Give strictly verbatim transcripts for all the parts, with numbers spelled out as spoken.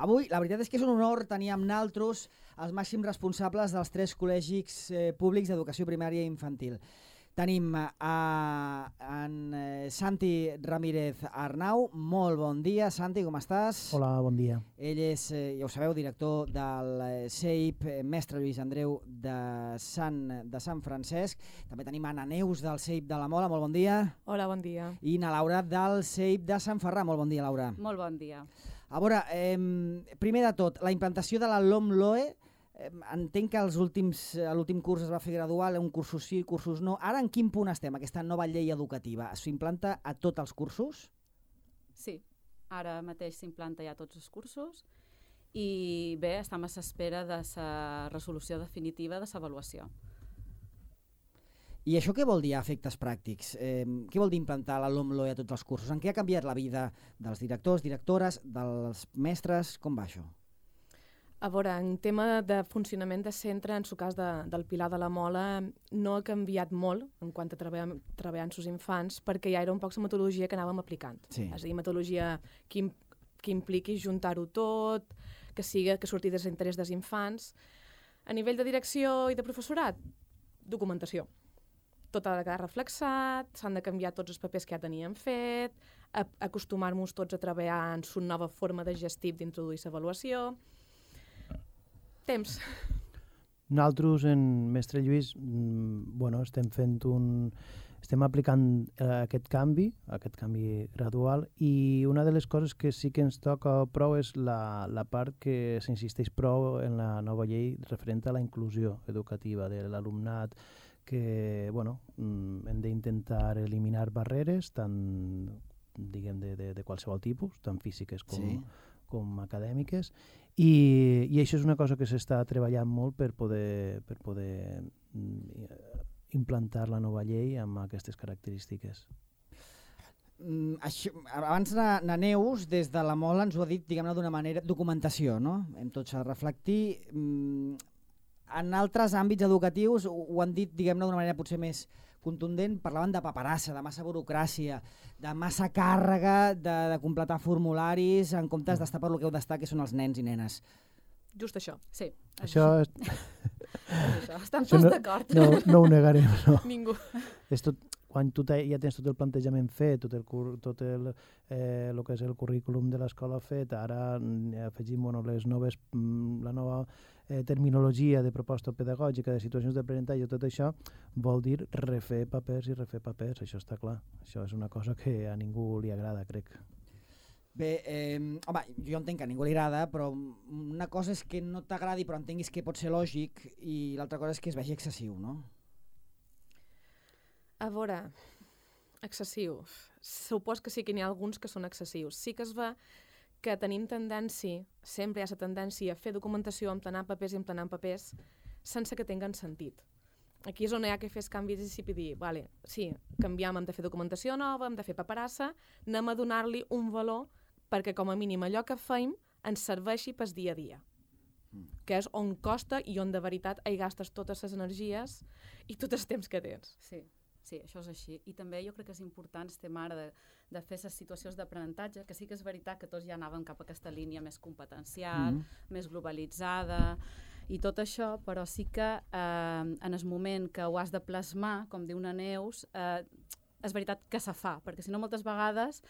Avui, la veritat és que és un honor tenir amb naltros els màxims responsables dels tres col·legis eh, públics d'educació primària i infantil. Tenim a en eh, Santi Ramírez Arnau. Molt bon dia, Santi, com estàs? Hola, bon dia. Ell és, eh, ja ho sabeu, director del eh, C E I P, eh, mestre Lluís Andreu de Sant, de Sant Francesc. També tenim Anna Neus del C E I P de la Mola, molt bon dia. Hola, bon dia. I na Laura del C E I P de Sant Ferran, molt bon dia, Laura. Molt bon dia. A veure, eh, primer de tot, la implantació de la LOMLOE, eh, entenc que els últims, a l'últim curs es va fer gradual, un cursos sí, cursos no. Ara en quin punt estem, aquesta nova llei educativa? S'implanta a tots els cursos? Sí, ara mateix s'implanta ja a tots els cursos i bé, estem a l'espera de la resolució definitiva de l'avaluació. I això què vol dir a efectes pràctics? Eh, què vol dir implantar la LOMLOE a tots els cursos? En què ha canviat la vida dels directors, directores, dels mestres? Com va això? A veure, en tema de funcionament de centre, en el cas de, del Pilar de la Mola, no ha canviat molt en quant a treballar, treballar amb els infants, perquè ja era un poc la metodologia que anàvem aplicant. Sí. És a dir, metodologia que, que impliqui juntar-ho tot, que siga que surti des l'interès dels infants. A nivell de direcció i de professorat, documentació. Tot ha de quedar reflexat, s'han de canviar tots els papers que ja teníem fet, acostumar-nos tots a treballar en una nova forma de gestir d'introduir l'avaluació. Temps. Nosaltres, en Mestre Lluís, bueno, estem fent un... estem aplicant eh, aquest canvi, aquest canvi gradual, i una de les coses que sí que ens toca prou és la, la part que s'insisteix prou en la nova llei referent a la inclusió educativa de l'alumnat, que bueno, hem d'intentar eliminar barreres, tant diguem de, de, de qualsevol tipus, tant físiques com, sí. com acadèmiques, i, i això és una cosa que s'està treballant molt per poder, per poder implantar la nova llei amb aquestes característiques. Mm, això, abans na, na Neus, des de la Mola, ens ho ha dit, diguem-ne, d'una manera, documentació, no? Hem tots a reflectir... Mm, en altres àmbits educatius ho han dit, diguem-ne, d'una manera potser més contundent, parlaven de paperassa, de massa burocràcia, de massa càrrega, de, de completar formularis, en comptes d'estar per lo que heu d'estar, que són els nens i nenes. Just això. Sí. Això... És... això. Estan tots no, d'acord. No, no ho negarem, no. Ningú. És tot, quan tu ja tens tot el plantejament fet, tot el, tot el, eh, el que és el currículum de l'escola fet, ara afegim bueno, les noves, la nova eh, terminologia de proposta pedagògica, de situacions d'aprenentatge, tot això vol dir refer papers i refer papers, això està clar. Això és una cosa que a ningú li agrada, crec. Bé, eh, home, jo entenc que a ningú li agrada, però una cosa és que no t'agradi però entenguis que pot ser lògic i l'altra cosa és que es vegi excessiu, no? A veure, excessiu. Supos que sí que n'hi ha alguns que són excessius. Sí que es va que tenim tendència, sempre hi ha la tendència a fer documentació, emplenar papers i emplenar papers, sense que tinguen sentit. Aquí és on hi ha que fer canvis i dir, vale, sí, canviem, hem de fer documentació nova, hem de fer paperassa, anem a donar-li un valor perquè com a mínim allò que fem ens serveixi pel dia a dia, mm. que és on costa i on de veritat hi gastes totes les energies i tot el temps que tens. Sí, sí, això és així. I també jo crec que és important estem ara de, de fer les situacions d'aprenentatge, que sí que és veritat que tots ja anàvem cap a aquesta línia més competencial, mm. més globalitzada, i tot això, però sí que eh, en el moment que ho has de plasmar, com diu una Neus, eh, és veritat que se fa, perquè si no moltes vegades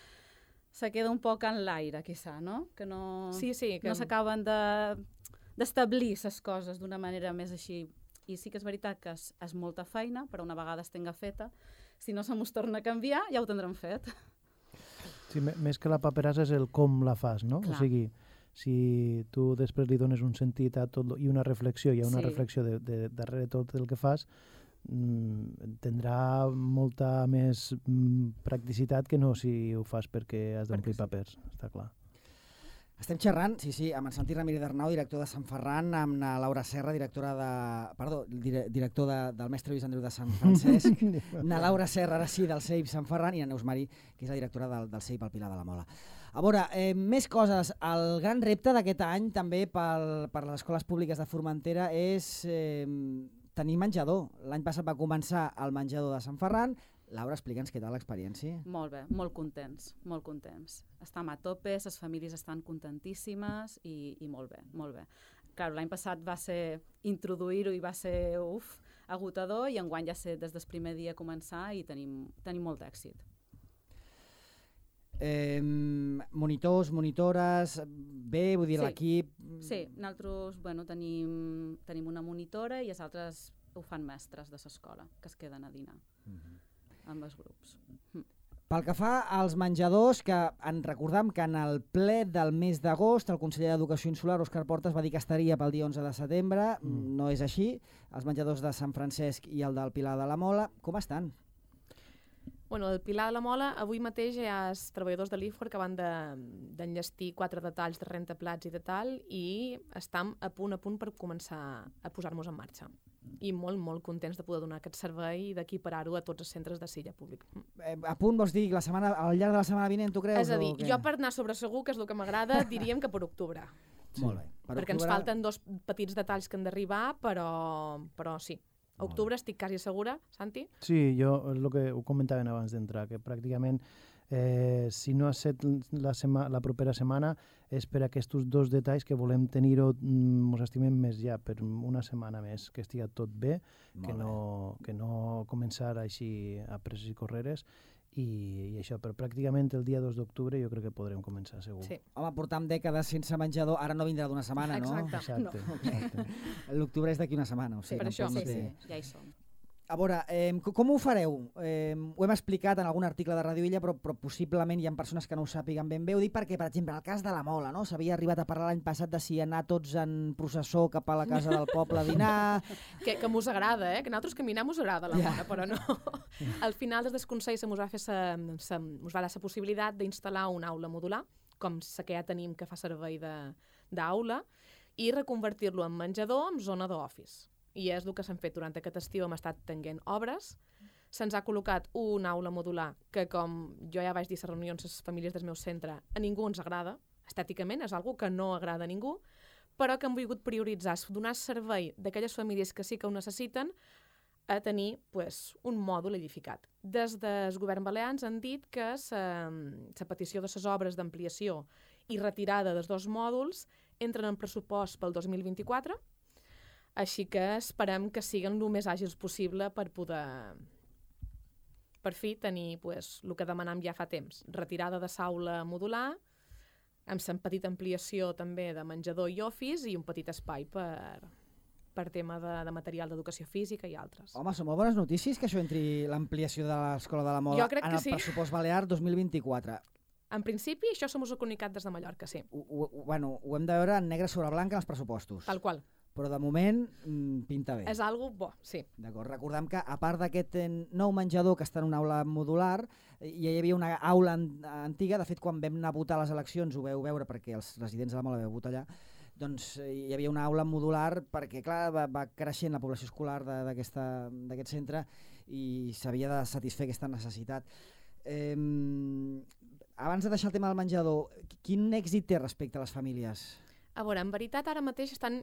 se queda un poc en l'aire, quizà, no? Que no, sí, sí, que... no s'acaben de, d'establir les coses d'una manera més així. I sí que és veritat que és, és molta feina, però una vegada es tenga feta, si no se mos torna a canviar, ja ho tindrem fet. Sí, més que la paperassa és el com la fas, no? Clar. O sigui, si tu després li dones un sentit a tot i una reflexió, hi ha una sí. reflexió de, de, darrere tot el que fas, mm, tindrà molta més mm, practicitat que no si ho fas perquè has d'omplir sí. papers, està clar. Estem xerrant, sí, sí, amb en Santi Ramírez Arnau, director de Sant Ferran, amb la Laura Serra, directora de... Perdó, dire, director de, del mestre Lluís Andreu de Sant Francesc, na Laura Serra, ara sí, del C E I P Sant Ferran, i na Neus Marí, que és la directora del, del C E I P al Pilar de la Mola. A veure, eh, més coses. El gran repte d'aquest any, també pel, per les escoles públiques de Formentera, és eh, tenir menjador. L'any passat va començar el menjador de Sant Ferran, Laura, explica'ns què tal l'experiència. Molt bé, molt contents, molt contents. Estem a tope, les famílies estan contentíssimes i, i molt bé, molt bé. Clar, l'any passat va ser introduir-ho i va ser, uf, agotador, i enguany ja sé des del primer dia començar i tenim, tenim molt d'èxit. Eh, monitors, monitores, bé, vull dir, Sí. l'equip... Sí, nosaltres bueno, tenim, tenim una monitora i els altres ho fan mestres de l'escola, que es queden a dinar amb els grups. Pel que fa als menjadors, que en recordam que en el ple del mes d'agost el conseller d'Educació Insular, Òscar Portas, va dir que estaria pel dia onze de setembre. Mm. No és així. Els menjadors de Sant Francesc i el del Pilar de la Mola, com estan? Bueno, el Pilar de la Mola, avui mateix hi ha els treballadors de l'I F O R que van d'enllestir de, quatre detalls de rentaplats i de tal, i estem a punt a punt per començar a posar-nos en marxa. I molt, molt contents de poder donar aquest servei i d'equiparar-ho a tots els centres de Silla públic. Eh, a punt vols dir la setmana, al llarg de la setmana vinent, tu creus? És a dir, o què? jo per anar sobre segur, que és el que m'agrada, diríem que per octubre. Sí. Molt bé. Per perquè octubre... ens falten dos petits detalls que han d'arribar, però, però sí. A octubre estic quasi segura, Santi? Sí, jo és el que ho comentaven abans d'entrar, que pràcticament eh, si no ha set la, sema, la propera setmana és per aquests dos detalls que volem tenir-ho, ens estimem més ja, per una setmana més, que estigui tot bé, que no, que no començar així a presses i correres, i, i això, però pràcticament el dia dos d'octubre jo crec que podrem començar, segur. Sí. Home, portam dècades sense menjador, ara no vindrà d'una setmana, no? Exacte. Exacte, No. exacte. L'octubre és d'aquí una setmana, o sigui, Per això. tampoc no Sí, té... sí, ja hi som. A veure, eh, com ho fareu? Eh, ho hem explicat en algun article de Radio Illa, però, però possiblement hi ha persones que no ho sàpiguen ben bé. Ho dic perquè, per exemple, el cas de la Mola, no? S'havia arribat a parlar l'any passat de si anar tots en processó cap a la casa del poble a dinar... Que, que mos agrada, eh? Que nosaltres caminar mos agrada la Mola, però no. Al final, des del Consell se mos va fer sa, sa, mos va dar la possibilitat d'instal·lar una aula modular, com la que ja tenim que fa servei d'aula, i reconvertir-lo en menjador amb zona d'office. I és el que s'han fet durant aquest estiu, hem estat tenint obres. Se'ns ha col·locat una aula modular que, com jo ja vaig dir a les reunions a les famílies del meu centre, a ningú ens agrada, estèticament, és algo que no agrada a ningú, però que hem volgut prioritzar, donar servei d'aquelles famílies que sí que ho necessiten a tenir pues, un mòdul edificat. Des del govern balear ens han dit que la petició de les obres d'ampliació i retirada dels dos mòduls entren en pressupost pel dos mil vint-i-quatre, així que esperem que siguin el més àgils possible per poder, per fi, tenir pues, el que demanam ja fa temps. Retirada de saula modular, amb la petita ampliació també de menjador i office i un petit espai per, per tema de, de material d'educació física i altres. Home, són molt bones notícies que això entri l'ampliació de l'Escola de la Mola Jo crec en que el sí. pressupost balear dos mil vint-i-quatre. En principi, això som us ho comunicat des de Mallorca, sí. Ho, ho, bueno, ho hem de veure en negre sobre blanc en els pressupostos. Tal qual. Però de moment mm, pinta bé. És algo bo, sí. D'acord, recordem que a part d'aquest eh, nou menjador que està en una aula modular, eh, ja hi havia una aula an antiga, de fet quan vam anar a votar les eleccions ho veu veure perquè els residents de la Mola veu votar allà, doncs eh, hi havia una aula modular perquè clar, va, va creixent la població escolar d'aquest centre i s'havia de satisfer aquesta necessitat. Eh, abans de deixar el tema del menjador, quin èxit té respecte a les famílies? A veure, en veritat ara mateix estan...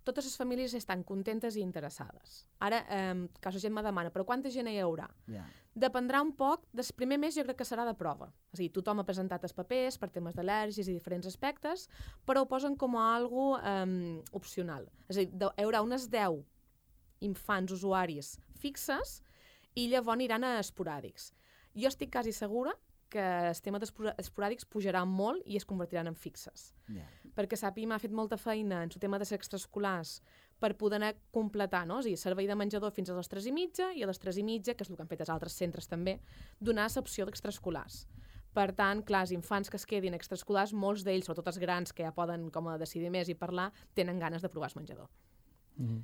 Totes les famílies estan contentes i interessades. Ara, eh, que la gent me demana, però quanta gent hi haurà? Yeah. Dependrà un poc, del primer mes jo crec que serà de prova. És a dir, tothom ha presentat els papers per temes d'al·lèrgies i diferents aspectes, però ho posen com a algo eh, opcional. És a dir, hi haurà unes deu infants usuaris fixes i llavors aniran a esporàdics. Jo estic quasi segura que el tema d'esporàdics pujarà molt i es convertiran en fixes. Yeah. Perquè Sapi m'ha fet molta feina en el tema de ser extraescolars per poder anar completar, no? És a dir, servei de menjador fins a les tres i mitja i a les tres i mitja, que és el que han fet els altres centres també, donar l'opció d'extraescolars. Per tant, clar, els infants que es quedin extraescolars, molts d'ells, sobretot els grans que ja poden com a decidir més i parlar, tenen ganes de provar el menjador. Mm.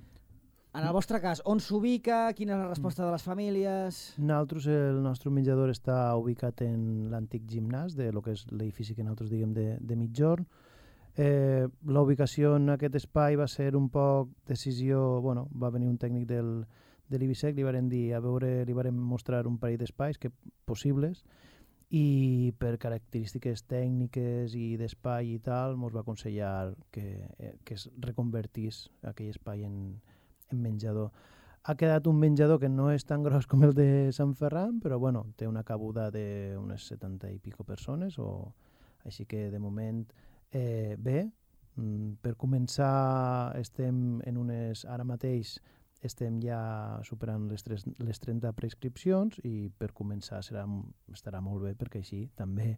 En el vostre cas, on s'ubica? Quina és la resposta de les famílies? Nosaltres, el nostre menjador està ubicat en l'antic gimnàs, de lo que és l'edifici que nosaltres diguem de, de Mitjorn. Eh, la ubicació en aquest espai va ser un poc decisió, bueno, va venir un tècnic del, de l'Ibisec, li varen dir, a veure, li varen mostrar un parell d'espais que possibles, i per característiques tècniques i d'espai i tal, ens va aconsellar que, eh, que es reconvertís aquell espai en, en menjador. Ha quedat un menjador que no és tan gros com el de Sant Ferran, però bueno, té una cabuda d'unes setanta i pico persones, o... així que de moment eh, bé. Mm, per començar estem en unes... Ara mateix estem ja superant les, tres, les trenta prescripcions i per començar serà, estarà molt bé perquè així també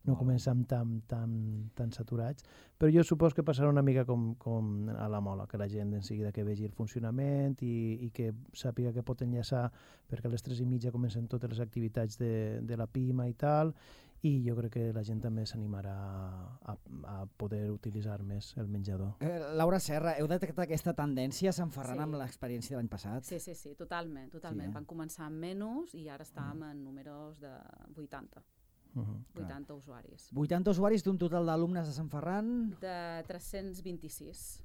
no oh. comencem tan, tan, tan saturats. Però jo supos que passarà una mica com, com a la Mola, que la gent en seguida que vegi el funcionament i, i que sàpiga que pot enllaçar, perquè a les tres i mitja comencen totes les activitats de, de la Pima i tal, i jo crec que la gent també s'animarà a, a poder utilitzar més el menjador. Eh, Laura Serra, heu detectat aquesta tendència a Sant Ferran Sí. amb l'experiència de l'any passat? Sí, sí, sí, totalment, totalment. Sí, eh? Van començar amb menys i ara estàvem en números de vuitanta. Uh -huh. vuitanta usuaris. vuitanta usuaris d'un total d'alumnes de Sant Ferran De tres-cents vint-i-sis.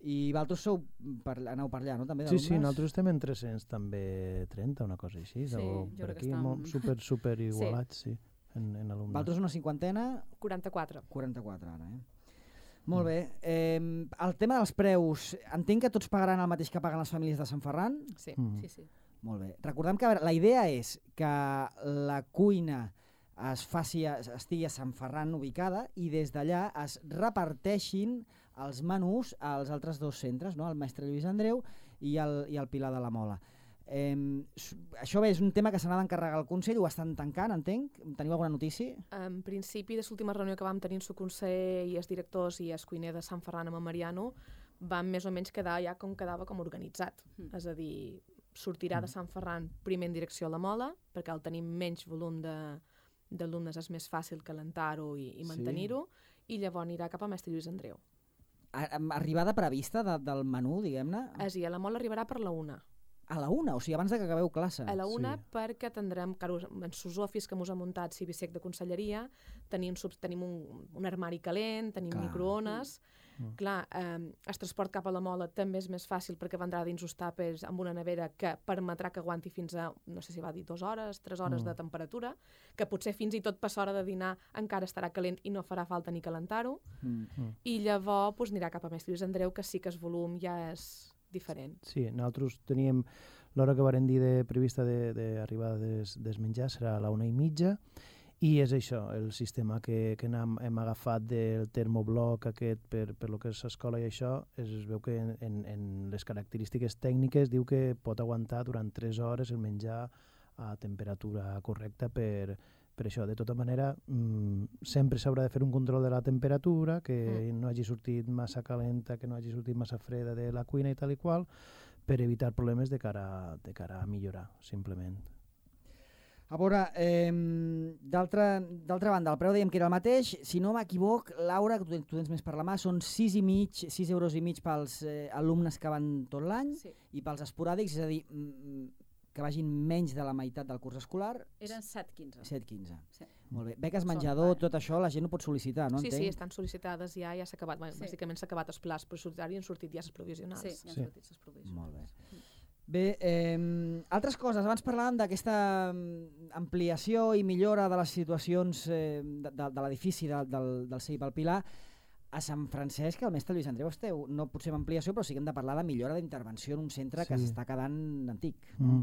i vosaltres sou per, aneu per allà, no? També Sí, d'alumnes? sí, nosaltres estem en tres-cents també trenta, una cosa així, Sí, o jo per crec que aquí, estem- molt, super, super igualats, sí, en, en alumnes. Vosaltres una cinquantena, quaranta-quatre. quaranta-quatre ara, eh? Molt bé. Eh, el tema dels preus, entenc que tots pagaran el mateix que paguen les famílies de Sant Ferran? Sí. Mm. Sí, sí. Molt bé. Recordem que a veure, la idea és que la cuina es faci, a- estigui a Sant Ferran ubicada i des d'allà es reparteixin els menús als altres dos centres, no? El Mestre Lluís Andreu i el, i el Pilar de la Mola. Eh, això bé, és un tema que s'ha d'encarregar el Consell, ho estan tancant, entenc? Teniu alguna notícia? En principi, de l'última reunió que vam tenir en el Consell i els directors i el cuiner de Sant Ferran amb en Mariano, vam més o menys quedar ja com quedava com organitzat. Mm. És a dir, sortirà de Sant Ferran primer en direcció a la Mola, perquè al tenir menys volum de d'alumnes és més fàcil calentar-ho i, i Sí. mantenir-ho, i llavors anirà cap a Mestre Lluís Andreu. A- amb arribada prevista de, del menú, diguem-ne? És a dir, a la Mola arribarà per la una. A la una, o sigui, abans de que acabeu classe. A la una Sí. perquè tindrem, claro, en sus office que mos ha muntat Cibisec de Conselleria, tenim, subs, tenim un, un armari calent, tenim Clar. microones. Mm. Clar, eh, el transport cap a la Mola també és més fàcil perquè vendrà dins els tàpers amb una nevera que permetrà que aguanti fins a, no sé si va dir, dues hores, tres hores Mm. de temperatura, que potser fins i tot per l'hora de dinar encara estarà calent i no farà falta ni calentar-ho. Mm. I llavors pues, anirà cap a Mestre Lluís Andreu, que sí que el volum ja és diferent. Sí, nosaltres teníem l'hora que varen dir de prevista d'arribada de, de des, des menjars serà a la una i mitja, i és això, el sistema que, que hem, hem agafat del termobloc aquest per, per lo que és l'escola i això, es, es veu que en, en, en les característiques tècniques diu que pot aguantar durant tres hores el menjar a temperatura correcta per, per això. De tota manera, mmm, sempre s'haurà de fer un control de la temperatura, que mm. no hagi sortit massa calenta, que no hagi sortit massa freda de la cuina i tal i qual, per evitar problemes de cara, de cara a millorar, simplement. A veure, eh, d'altra banda, el preu dèiem que era el mateix. Si no m'equivoc, Laura, que tu, tu tens més per la mà, són sis i mig, sis euros i mig pels eh, alumnes que van tot l'any Sí. i pels esporàdics, és a dir, mm, que vagin menys de la meitat del curs escolar, Eren set quinze. set quinze. Sí. Molt bé. Beques Són menjador, pares. tot això, la gent ho pot sol·licitar, no? sí, entenc? sí, estan sol·licitades ja, ja s'ha acabat, bueno, Sí. bàsicament s'ha acabat els plats pressupostaris i han sortit ja les provisionals. Sí, ja han Sí. sortit les provisions. Molt bé. Bé, eh, altres coses. Abans parlàvem d'aquesta mm, ampliació i millora de les situacions eh, de, de, de l'edifici de, del, del C I P al Pilar. A Sant Francesc, al Mestre Lluís Andreu, esteu, no potser amb ampliació, però sí que hem de parlar de millora d'intervenció en un centre que Sí. s'està quedant antic. Mm.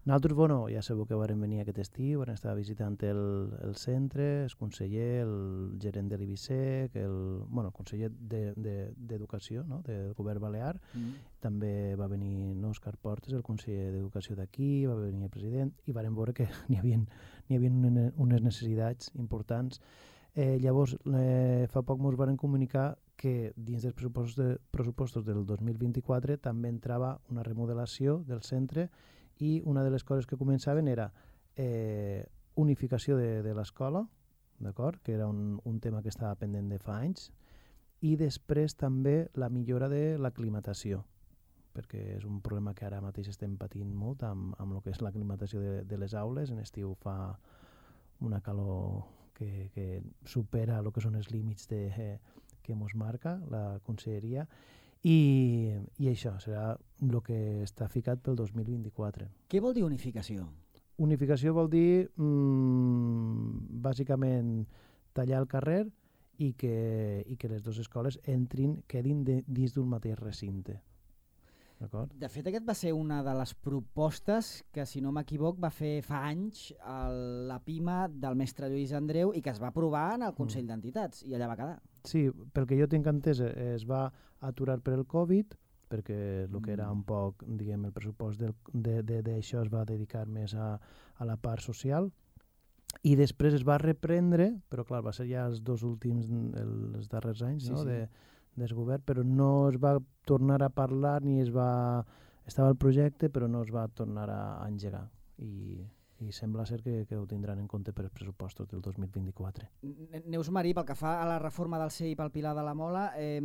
Nosaltres, bueno, ja sabeu que vam venir aquest estiu, vam estar visitant el, el centre, el conseller, el gerent de l'Ibisec, el, bueno, el conseller d'Educació de, de, no? del govern balear, Mm. també va venir no, Òscar Portes, el conseller d'Educació d'aquí, va venir el president, i vam veure que n'hi havia, n'hi havia unes necessitats importants. Eh, llavors, eh, fa poc ens van comunicar que dins dels pressupostos, de, pressupostos del dos mil vint-i-quatre també entrava una remodelació del centre i una de les coses que començaven era eh, unificació de, de l'escola, d'acord, que era un, un tema que estava pendent de fa anys, i després també la millora de l'aclimatació, perquè és un problema que ara mateix estem patint molt amb, amb el que és l'aclimatació de, de les aules. En estiu fa una calor que, que supera el que són els límits de, eh, que ens marca la conselleria, i, i això serà el que està ficat pel dos mil vint-i-quatre. Què vol dir unificació? Unificació vol dir mmm, bàsicament tallar el carrer i que, i que les dues escoles entrin, quedin de, dins d'un mateix recinte. d'acord? De fet, aquest va ser una de les propostes que, si no m'equivoc, va fer fa anys el, la PIMA del mestre Lluís Andreu i que es va aprovar en el Consell mm. d'Entitats i allà va quedar. Sí, pel que jo tinc entès, es va aturar per el Covid, perquè el que era un poc, diguem, el pressupost d'això es va dedicar més a, a la part social, i després es va reprendre, però clar, va ser ja els dos últims, els darrers anys, sí, no? Sí. De, del govern, però no es va tornar a parlar ni es va... Estava el projecte, però no es va tornar a engegar. I, i sembla ser que, que ho tindran en compte per els pressupostos del dos mil vint-i-quatre. Neus Marí, pel que fa a la reforma del C E I pel Pilar de la Mola, eh,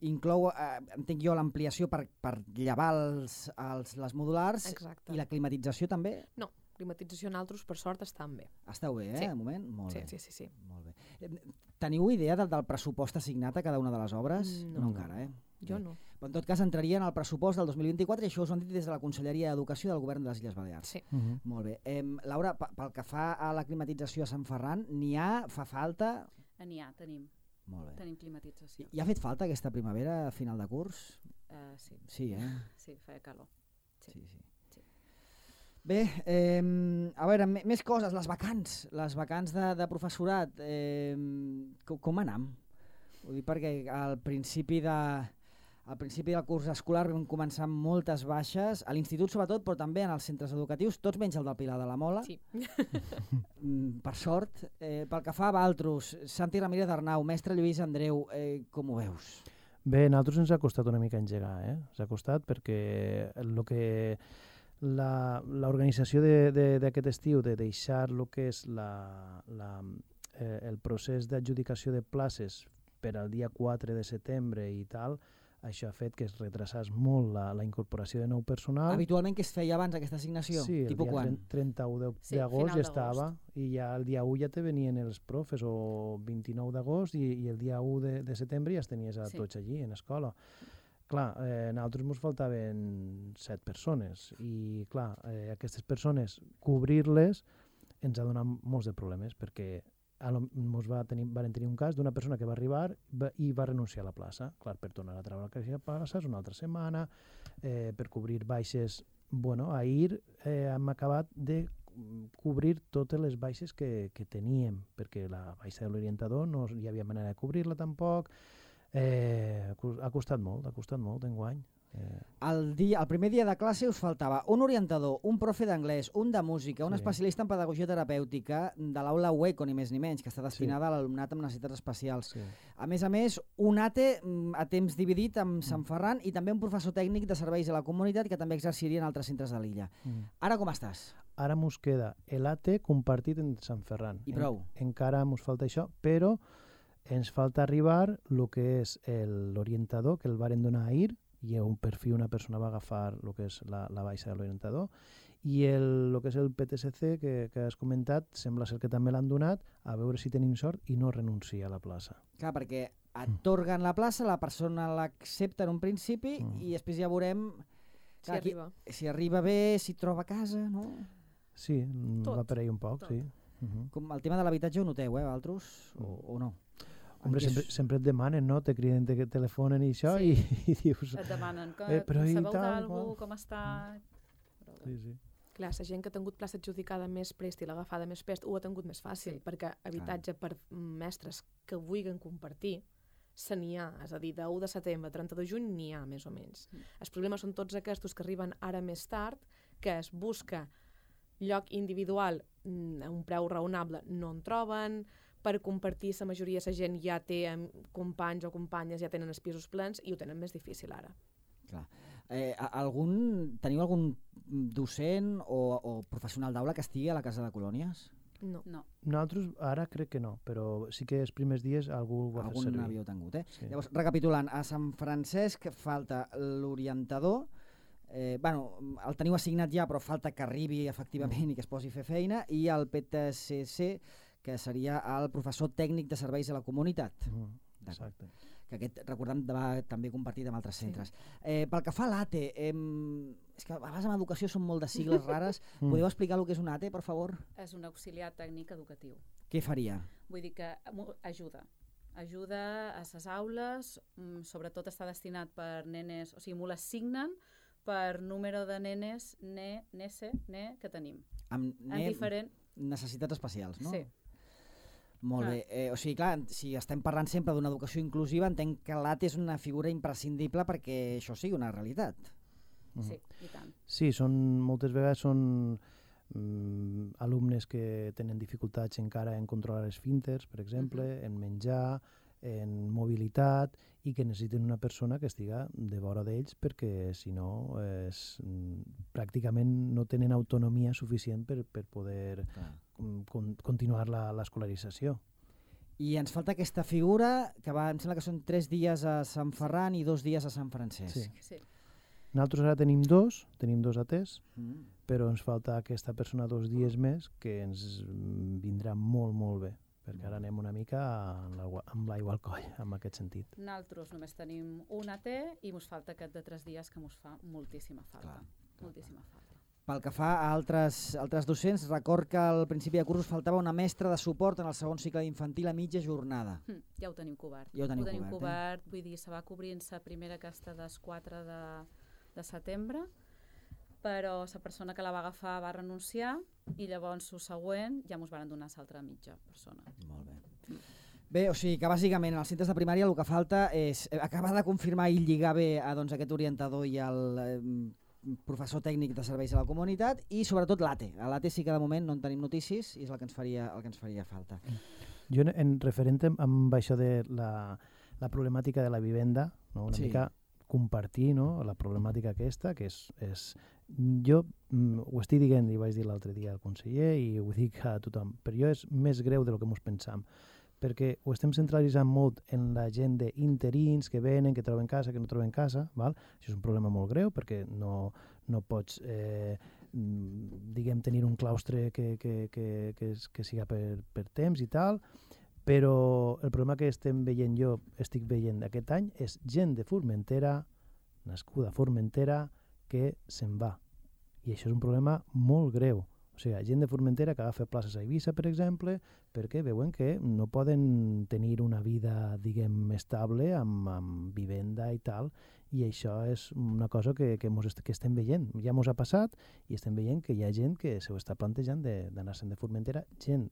inclou, eh, entenc jo, l'ampliació per, per llevar els, els, les modulars. Exacte. I la climatització també? No, climatització en altres, per sort, estan bé. Esteu bé, eh, sí. de moment? Molt sí, bé. Sí, sí, sí. Molt bé. Teniu idea del, del pressupost assignat a cada una de les obres? No, no encara, eh? Jo no. Però en tot cas entraria en el pressupost del dos mil vint-i-quatre i això us ho han dit des de la Conselleria d'Educació del Govern de les Illes Balears. Sí. Uh -huh. Molt bé. Eh, Laura, pel que fa a la climatització a Sant Ferran, n'hi ha? Fa falta? N'hi ha, tenim. Molt bé. Tenim climatització. I, I ha fet falta aquesta primavera a final de curs? Uh, sí. Sí, eh? Sí, feia calor. Sí, sí. sí. sí. Bé, eh, a veure, més coses, les vacants, les vacants de, de professorat, eh, com, com anam? Vull dir, perquè al principi de... Al principi del curs escolar vam començar amb moltes baixes, a l'institut sobretot, però també en els centres educatius, tots menys el del Pilar de la Mola, sí. per sort. Eh, pel que fa a Valtros, Santi Ramírez Arnau, mestre Lluís Andreu, eh, com ho veus? Bé, a nosaltres ens ha costat una mica engegar, eh? Ens ha costat perquè el que l'organització d'aquest estiu, de deixar el que és la, la, eh, el procés d'adjudicació de places per al dia quatre de setembre i tal, això ha fet que es retrasés molt la, la incorporació de nou personal. Habitualment que es feia abans aquesta assignació? Sí, el Tipus dia quan? trenta-u d'agost ja estava, i ja el dia u ja te venien els profes, o vint-i-nou d'agost, i, i el dia u de, de setembre ja els tenies a sí. tots allí, en escola. Clar, eh, a nosaltres ens faltaven set persones, i clar, eh, aquestes persones, cobrir-les, ens ha donat molts de problemes, perquè ens va tenir, van tenir un cas d'una persona que va arribar va, i va renunciar a la plaça. Clar, per tornar a treure la plaça és una altra setmana, eh, per cobrir baixes. Bueno, ahir eh, hem acabat de cobrir totes les baixes que, que teníem, perquè la baixa de l'orientador no hi havia manera de cobrir-la tampoc. Eh, ha costat molt, ha costat molt enguany. Eh. El, dia, el primer dia de classe us faltava un orientador, un profe d'anglès, un de música, un sí. especialista en pedagogia terapèutica de l'aula UECO, ni més ni menys, que està destinada sí. a l'alumnat amb necessitats especials. Sí. A més a més, un A T E a temps dividit amb mm. Sant Ferran i també un professor tècnic de serveis a la comunitat que també exerciria en altres centres de l'illa. Mm. Ara com estàs? Ara mos queda l'A T E compartit en Sant Ferran. I prou? En, encara mos falta això, però ens falta arribar el que és l'orientador, que el varen donar ahir, i un perfil una persona va agafar el que és la, la baixa de l'orientador, i el, el que és el P T S C que, que has comentat, sembla ser que també l'han donat, a veure si tenim sort i no renuncia a la plaça. Clar, perquè atorguen la plaça, la persona l'accepta en un principi mm. i després ja veurem clar, si, arriba. Aquí, si arriba bé, si troba casa, no? Sí, tot, va per ahir un poc, tot. sí. Uh -huh. Com el tema de l'habitatge ho noteu, eh, altres, o, o no? Hombre, sempre, sempre et demanen, no? Te criden, te telefonen i això, sí. i, i dius... Et demanen, que, eh, però sabeu d'algú, com està... Sí, sí. Clar, la gent que ha tingut plaça adjudicada més prest i l'agafada més prest ho ha tingut més fàcil, sí. perquè habitatge ah. per mestres que vulguin compartir se n'hi ha, és a dir, de u de setembre a trenta de juny n'hi ha, més o menys. Mm. Els problemes són tots aquests que arriben ara més tard, que es busca lloc individual a un preu raonable, no en troben, per compartir la majoria de la gent ja té companys o companyes, ja tenen els pisos plens i ho tenen més difícil ara. Clar. Eh, algun, teniu algun docent o, o professional d'aula que estigui a la Casa de Colònies? No. no. Nosaltres ara crec que no, però sí que els primers dies algú ho va algun fer servir. Algun havíeu tingut, eh? Sí. Llavors, recapitulant, a Sant Francesc falta l'orientador, eh, bueno, el teniu assignat ja, però falta que arribi efectivament mm. i que es posi a fer feina, i el P T S C, que seria el professor tècnic de serveis a la comunitat. Mm, exacte. Que aquest, recordem, va també compartit amb altres centres. Sí. Eh, pel que fa a l'A T E, eh, és que a vegades en educació són molt de sigles rares. mm. Podeu explicar el que és un A T E, per favor? És un auxiliar tècnic educatiu. Què faria? Vull dir que ajuda. Ajuda a les aules, sobretot està destinat per nenes, o sigui, m'ho l'assignen per número de nenes, ne, nese, ne, que tenim. Amb En ne- diferent... necessitats especials, no? Sí. Molt Clar. bé. Eh, o sigui, clar, si estem parlant sempre d'una educació inclusiva, entenc que l'A T és una figura imprescindible perquè això sigui una realitat. Sí, i tant. Sí, són, moltes vegades són mm, alumnes que tenen dificultats encara en controlar els esfínters, per exemple, uh -huh. en menjar, en mobilitat, i que necessiten una persona que estiga de vora d'ells perquè, si no, és, mm, pràcticament no tenen autonomia suficient per, per poder mm, con, continuar la, l'escolarització. I ens falta aquesta figura, que va, em sembla que són tres dies a Sant Ferran i dos dies a Sant Francesc. Sí. Sí. Nosaltres ara tenim dos, tenim dos A Ts, Mm. però ens falta aquesta persona dos dies més que ens mm, vindrà molt, molt bé, perquè ara anem una mica amb l'aigua, amb l'aigua al coll, en aquest sentit. Nosaltres només tenim un A T i ens falta aquest de tres dies que ens fa moltíssima falta. Clar, clar, moltíssima falta. Pel que fa a altres, altres docents, record que al principi de curs faltava una mestra de suport en el segon cicle d'infantil a mitja jornada. Hm, ja ho tenim cobert. Ja ho teniu ho tenim cobert, cobert, vull dir, se va cobrint-se primera aquesta des quatre de, de setembre, però la persona que la va agafar va renunciar i llavors el següent ja ens van donar l'altra mitja persona. Molt bé. Bé, o sigui que bàsicament en els centres de primària el que falta és acabar de confirmar i lligar bé a doncs, aquest orientador i al eh, professor tècnic de serveis a la comunitat i sobretot l'A T. A l'A T sí que de moment no en tenim notícies i és el que ens faria, el que ens faria falta. Jo en, en referent amb això de la, la problemàtica de la vivenda, no? una Sí. mica compartir, no? La problemàtica aquesta, que és, és jo mm, ho estic dient i vaig dir l'altre dia al conseller i ho dic a tothom, però jo és més greu del que ens pensam, perquè ho estem centralitzant molt en la gent d'interins que venen, que troben casa, que no troben casa, val? Això és un problema molt greu perquè no, no pots eh, diguem tenir un claustre que, que, que, que, és, que siga per, per temps i tal, però el problema que estem veient jo, estic veient aquest any, és gent de Formentera, nascuda a Formentera, que se'n va. I això és un problema molt greu. O sigui, gent de Formentera que agafa places a Eivissa, per exemple, perquè veuen que no poden tenir una vida, diguem, estable, amb, amb vivenda i tal, i això és una cosa que, que, mos est que estem veient. Ja mos ha passat i estem veient que hi ha gent que s'ho està plantejant d'anar-se'n de, de Formentera, gent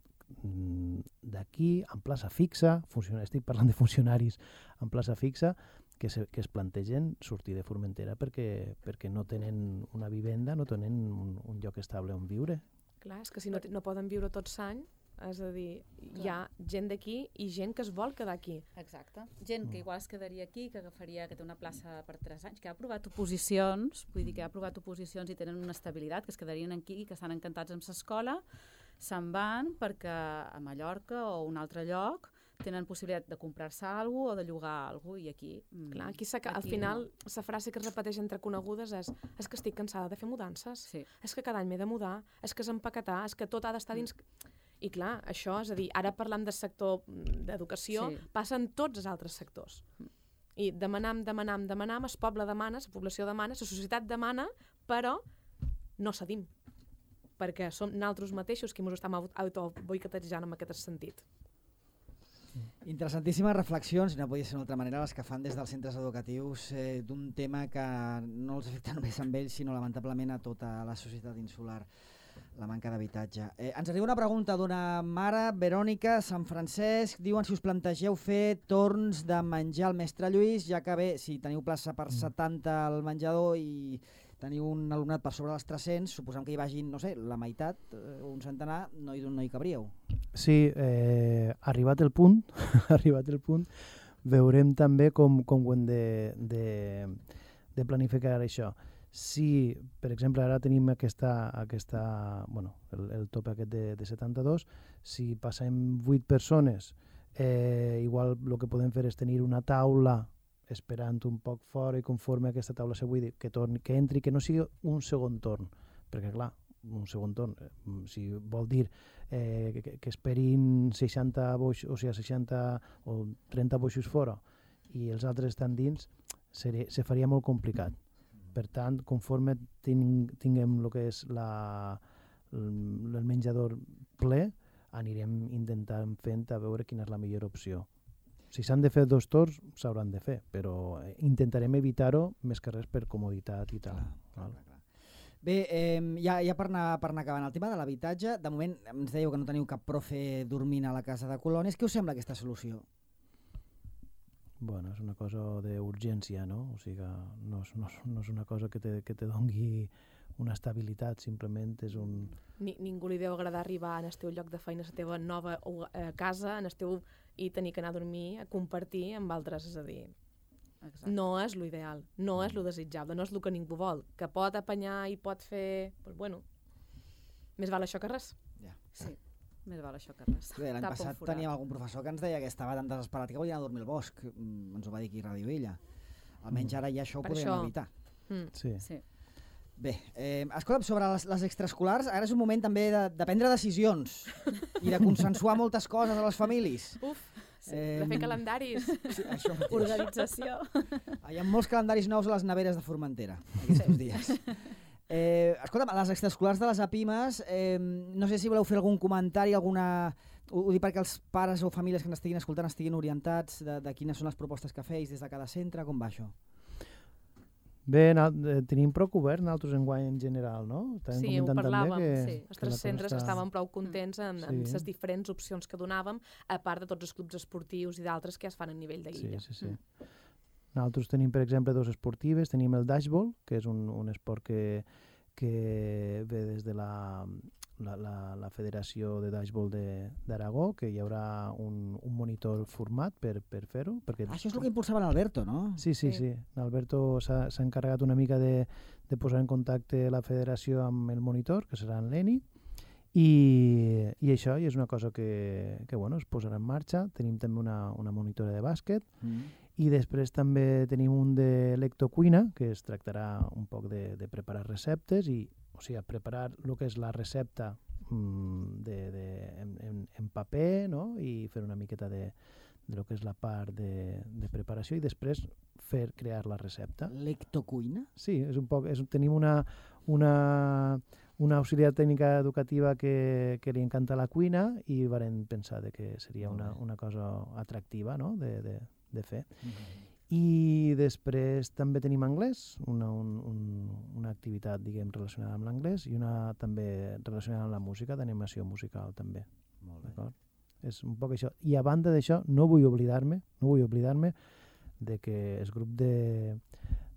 d'aquí, en plaça fixa, estic parlant de funcionaris en plaça fixa, que, se, que es plantegen sortir de Formentera perquè, perquè no tenen una vivenda, no tenen un, un lloc estable on viure. Clar, és que si no, no poden viure tot l'any, és a dir, hi ha gent d'aquí i gent que es vol quedar aquí. Exacte. Gent que igual es quedaria aquí, que agafaria, que té una plaça per tres anys, que ha aprovat oposicions, vull dir que ha aprovat oposicions i tenen una estabilitat, que es quedarien aquí, que estan encantats amb l'escola, se'n van perquè a Mallorca o un altre lloc tenen possibilitat de comprar-se alguna cosa o de llogar alguna cosa i aquí... Mm, Clar, aquí, aquí al final no. La frase que es repeteix entre conegudes és és que estic cansada de fer mudances, sí. És que cada any m'he de mudar, és que és empaquetar, és que tot ha d'estar dins... Mm. I clar, això, és a dir, ara parlam del sector d'educació, sí. Passa en tots els altres sectors. Mm. I demanam, demanam, demanam, el poble demana, la població demana, la societat demana, però no cedim, perquè som nosaltres mateixos qui ens estem autoboicotejant en aquest sentit. Interessantíssimes reflexions, no podia ser d'una altra manera, les que fan des dels centres educatius eh, d'un tema que no els afecta només amb ells, sinó lamentablement a tota la societat insular, la manca d'habitatge. Eh, ens arriba una pregunta d'una mare, Verònica, Sant Francesc, diuen si us plantegeu fer torns de menjar al mestre Lluís, ja que bé, si teniu plaça per setanta al menjador i teniu un alumnat per sobre dels tres-cents, suposem que hi vagin, no sé, la meitat, eh, un centenar, no hi, no hi cabríeu. Sí, eh, arribat el punt, arribat el punt, veurem també com, com ho hem de, de, de planificar això. Si, per exemple, ara tenim aquesta, aquesta bueno, el, el tope aquest de, de setanta-dos, si passem vuit persones, eh, igual el que podem fer és tenir una taula esperant un poc fora i conforme aquesta taula se buidi, que, torni, que entri, que no sigui un segon torn, perquè clar, un segon torn, eh, si vol dir eh, que, que esperin seixanta boixos, o sigui, seixanta o trenta boixos fora i els altres estan dins, seria, se faria molt complicat. Per tant, conforme ting, tinguem el que és la, el, el menjador ple, anirem intentant fent a veure quina és la millor opció. si s'han de fer dos torns, s'hauran de fer, però intentarem evitar-ho més que res per comoditat i tal. Clar, clar, clar. Bé, eh, ja, ja per, anar, per anar acabant el tema de l'habitatge, de moment ens dèieu que no teniu cap profe dormint a la casa de colònies. Què us sembla aquesta solució? Bueno, és una cosa d'urgència, no? O sigui, no és, no és, no és una cosa que te, que te dongui una estabilitat, simplement és un... Ni, ningú li deu agradar arribar en el teu lloc de feina, a la teva nova eh, casa, en el teu, i tenir que anar a dormir, a compartir amb altres, és a dir... Exacte. No és l'ideal, no és lo desitjable, no és el que ningú vol. Que pot apanyar i pot fer... Pues bueno, més val això que res. Ja. Sí, més val això que res. L'any passat teníem algun professor que ens deia que estava tan desesperat que volia anar a dormir al bosc. Mm, ens ho va dir aquí a Ràdio Illa. Almenys mm. ara ja això ho per podem això... evitar. Mm. Sí. Sí. Bé, eh, escolta'm, sobre les, les extraescolars, ara és un moment també de, de prendre decisions i de consensuar moltes coses a les famílies. Uf, sí, eh, de fer calendaris. Sí, això organització. Hi ha molts calendaris nous a les neveres de Formentera aquests dies. Eh, escolta'm, les extraescolars de les APIMES, eh, no sé si voleu fer algun comentari, alguna... Ho, ho dic perquè els pares o famílies que ens estiguin escoltant estiguin orientats de, de quines són les propostes que feis des de cada centre, com va això? Bé, tenim prou cobert nosaltres enguany en general, no? Estàvem sí, ho parlàvem, que, sí. Els tres centres està... estaven prou contents amb, sí. amb les diferents opcions que donàvem, a part de tots els clubs esportius i d'altres que es fan a nivell de l'illa. Sí, sí, sí. Mm. Nosaltres tenim, per exemple, dos esportives. Tenim el dashball, que és un, un esport que, que ve des de la, la, la, la Federació de Dashball d'Aragó, que hi haurà un, un monitor format per, per fer-ho. Perquè... Això és el que impulsava l'Alberto, no? Sí, sí, sí. sí. L'Alberto s'ha encarregat una mica de, de posar en contacte la federació amb el monitor, que serà en l'Eni, i, i això i és una cosa que, que bueno, es posarà en marxa. Tenim també una, una monitora de bàsquet, mm. i després també tenim un de lectocuina, que es tractarà un poc de, de preparar receptes, i, o sigui, preparar el que és la recepta mm, de, de, en, en, en paper, no? I fer una miqueta de, de lo que és la part de, de preparació i després fer crear la recepta. Lectocuina? Sí, és un poc, és, tenim una, una, una auxiliar tècnica educativa que, que li encanta la cuina i varen pensar de que seria una, una cosa atractiva, no? de, de, de fer. Mm-hmm. I després també tenim anglès, una, un, un, una activitat, diguem, relacionada amb l'anglès i una també relacionada amb la música, d'animació musical també. Molt bé. D'acord? És un poc això. I a banda d'això, no vull oblidar-me, no vull oblidar-me de que el grup de,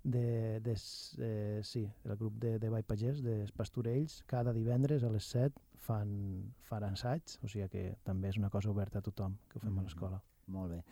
de, de eh, sí, el grup de, de Vall Pagès, dels Pastorells, cada divendres a les set fan, fan assaigs, o sigui que també és una cosa oberta a tothom, que ho fem mm. a l'escola. Molt bé.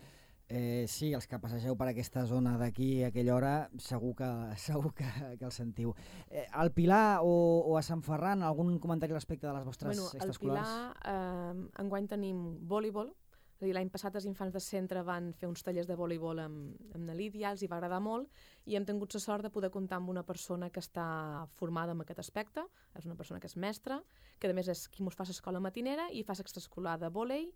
Eh, sí, els que passegeu per aquesta zona d'aquí a aquella hora segur que, segur que, que el sentiu. Eh, al Pilar o, o a Sant Ferran, algun comentari respecte de les vostres bueno, extraescolars? Al Pilar eh, enguany tenim voleibol. L'any passat els infants de centre van fer uns tallers de voleibol amb, amb la Lídia, els hi va agradar molt i hem tingut la sort de poder comptar amb una persona que està formada en aquest aspecte, és una persona que és mestra, que a més és qui mos fa l'escola matinera i fa l'extraescolar de vòlei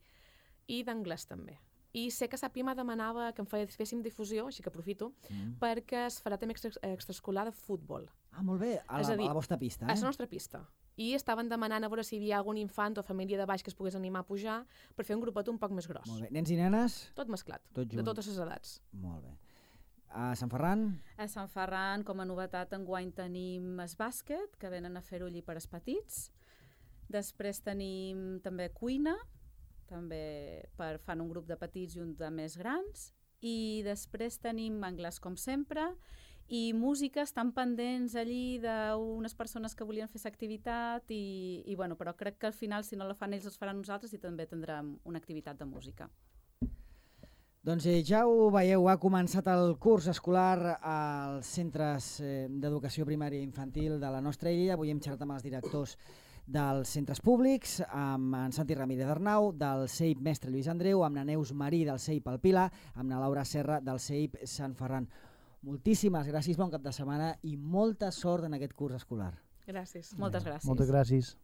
i d'anglès també. I sé que Sapima demanava que en féssim difusió, així que aprofito, mm. perquè es farà també extra, extraescolar de futbol. Ah, molt bé, a la, a, dir, a la vostra pista. Eh? A la nostra pista. I estaven demanant a veure si hi havia algun infant o família de baix que es pogués animar a pujar per fer un grupet un poc més gros. Molt bé. Nens i nenes? Tot mesclat, Tot de totes les edats. Molt bé. A Sant Ferran? A Sant Ferran, com a novetat, enguany tenim el bàsquet, que venen a fer-ho allí per als petits. Després tenim també cuina, també per fan un grup de petits i un de més grans, i després tenim anglès com sempre, i música, estan pendents allí d'unes persones que volien fer l'activitat, i, i bueno, però crec que al final, si no la fan ells, els faran nosaltres, i també tindrem una activitat de música. Doncs eh, ja ho veieu, ha començat el curs escolar als centres eh, d'educació primària i infantil de la nostra illa. Avui hem xerrat amb els directors dels centres públics, amb en Santi Ramírez Arnau, del C E I P Mestre Lluís Andreu, amb la Neus Marí del C E I P El Pilar, amb la Laura Serra del C E I P Sant Ferran. Moltíssimes gràcies, bon cap de setmana i molta sort en aquest curs escolar. Gràcies. Moltes gràcies. Moltes gràcies.